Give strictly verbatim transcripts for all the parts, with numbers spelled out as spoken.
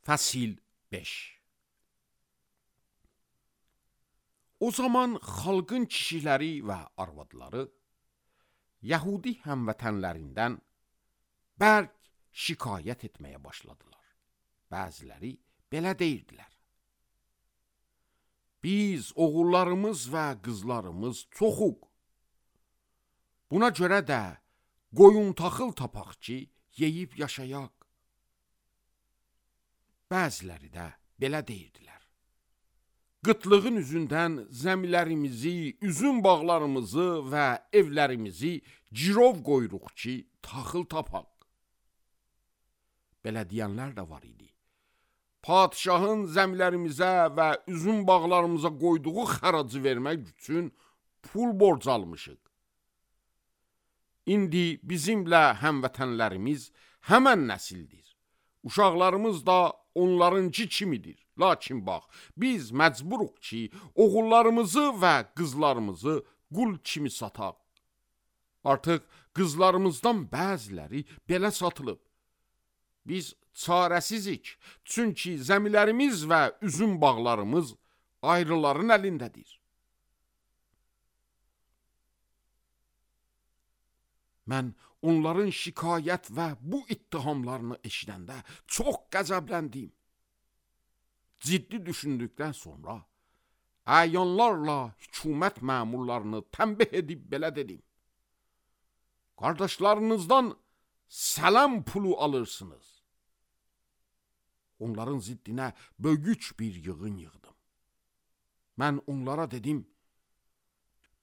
Fəsil beş. O zaman xalqın kişiləri və arvadları Yəhudi həmvətənlərindən bərk şikayət etməyə başladılar. Bəziləri belə deyirdilər: Biz oğullarımız və qızlarımız çoxuq. Buna görə də qoyun taxıl tapaq ki, yeyib yaşayaq. Bəziləri də belə deyirdilər: Qıtlığın üzündən zəmilərimizi, üzüm bağlarımızı və evlərimizi girov qoyuruq ki, taxıl tapaq. Belə deyənlər də var idi. Padişahın zəmilərimizə və üzüm bağlarımıza qoyduğu xəracı vermək üçün pul borc almışıq. İndi bizimlə həmvətənlərimiz həmən nəsildir. Uşaqlarımız da onlarınkı kimidir. Lakin bax, biz məcburuq ki, oğullarımızı və qızlarımızı qul kimi sataq. Artıq qızlarımızdan bəziləri belə satılıb. Biz çarəsizik, çünki zəmilərimiz və üzüm bağlarımız ayrıların əlindədir. Mən onların şikayət və bu ittihamlarını eşidəndə çox qəzəbləndim. Ciddi düşündükdən sonra əyanlarla hökumət məmurlarını tənbih edib belə dedim: Qardaşlarınızdan sələm pulu alırsınız. Onların ziddinə böyük bir yığın yığdım. Mən onlara dedim: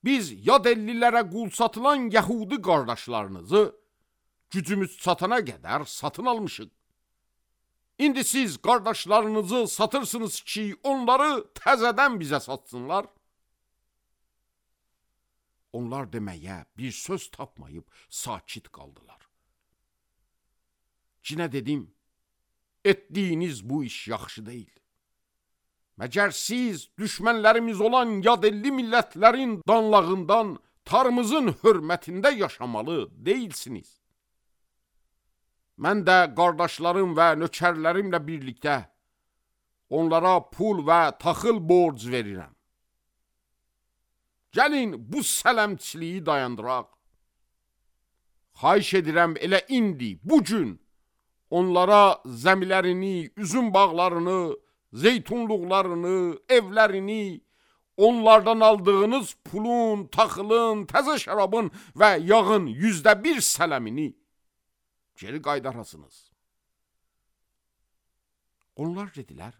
Biz yad ellilərə qul satılan Yəhudi qardaşlarınızı gücümüz çatana qədər satın almışıq. İndi siz qardaşlarınızı satırsınız ki, onları təzədən bizə satsınlar. Onlar deməyə bir söz tapmayıb sakit qaldılar. Cinə dedim: Etdiyiniz bu iş yaxşı deyil. Məgər siz düşmənlərimiz olan yad elli millətlərin danlağından tarımızın hörmətində yaşamalı deyilsiniz. Mən də qardaşlarım və nökərlərimlə birlikdə onlara pul və taxıl borc verirəm. Gəlin bu sələmçiliyi dayandıraq. Xahiş edirəm elə indi, bugün onlara zəmilərini, üzüm bağlarını, zeytunluqlarını, evlərini, onlardan aldığınız pulun, taxılın, təzə şərabın və yağın yüzdə bir sələmini geri qaydarasınız. Onlar dedilər: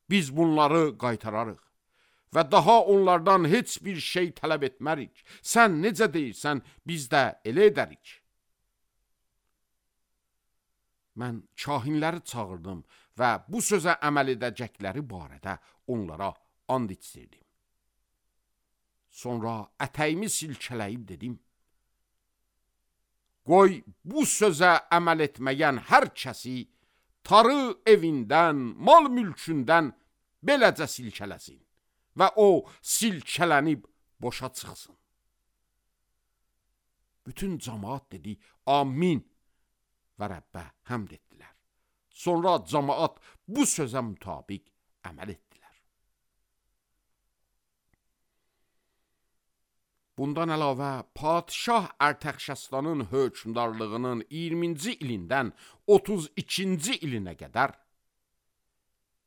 Biz bunları qaytararıq və daha onlardan heç bir şey tələb etmərik. Sən necə deyirsən, biz də elə edərik. Mən kahinləri çağırdım və bu sözə əməl edəcəkləri barədə onlara and içdirdim. Sonra ətəyimi silkələyib dedim: Qoy bu sözə əməl etməyən hər kəsi tarı evindən, mal mülkündən beləcə silkələsin və o silkələnib boşa çıxsın. Bütün cəmaat dedi: Amin və Rəbbə həmd etdilər. Sonra cəmaat bu sözə mütabiq əməl etdilər. Bundan əlavə, Padişah Ərtəxşəstanın hökmdarlığının iyirminci ilindən otuz ikinci ilinə qədər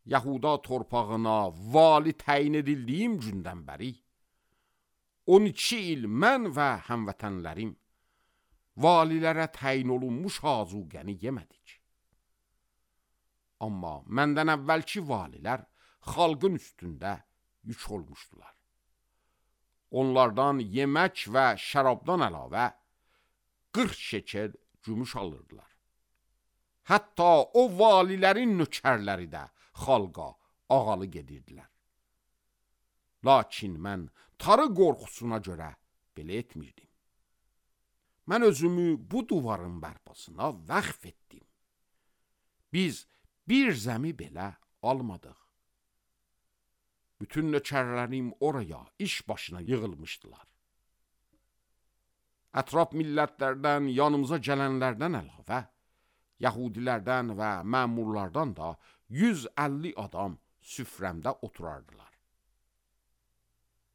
Yahuda torpağına vali təyin edildiyim gündən bəri on iki il mən və həmvətənlərim valilərə təyin olunmuş azuqəni yemədik. Amma məndən əvvəlki valilər xalqın üstündə yük olmuşdular. Onlardan yemək və şərabdan əlavə qırx şekel gümüş alırdılar. Hətta o valilərin nökərləri də xalqa ağalı gedirdilər. Lakin mən tarı qorxusuna görə belə etmirdim. Mən özümü bu divarın bərpasına vəqf etdim. Biz bir zəmi belə almadıq. Bütün nökərlərim oraya iş başına yığılmışdılar. Ətraf millətlərdən yanımıza gələnlərdən əlavə Yəhudilərdən və məmurlardan da yüz əlli adam süfrəmdə oturardılar.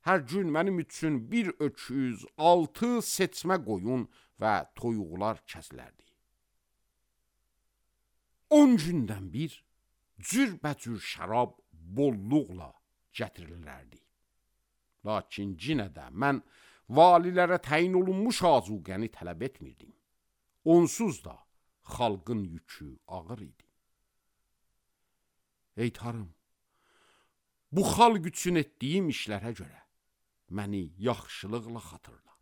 Hər gün mənim üçün bir öküz, altı seçmə qoyun və toyuqlar kəsilərdi. On gündən bir cürbəcür şərab bolluqla gətirilərdi. Lakin yenə də mən valilərə təyin olunmuş azuqəni tələb etmirdim. Onsuz da xalqın yükü ağır idi. Ey Tanrım, bu xalq üçün etdiyim işlərə görə məni yaxşılıqla xatırla.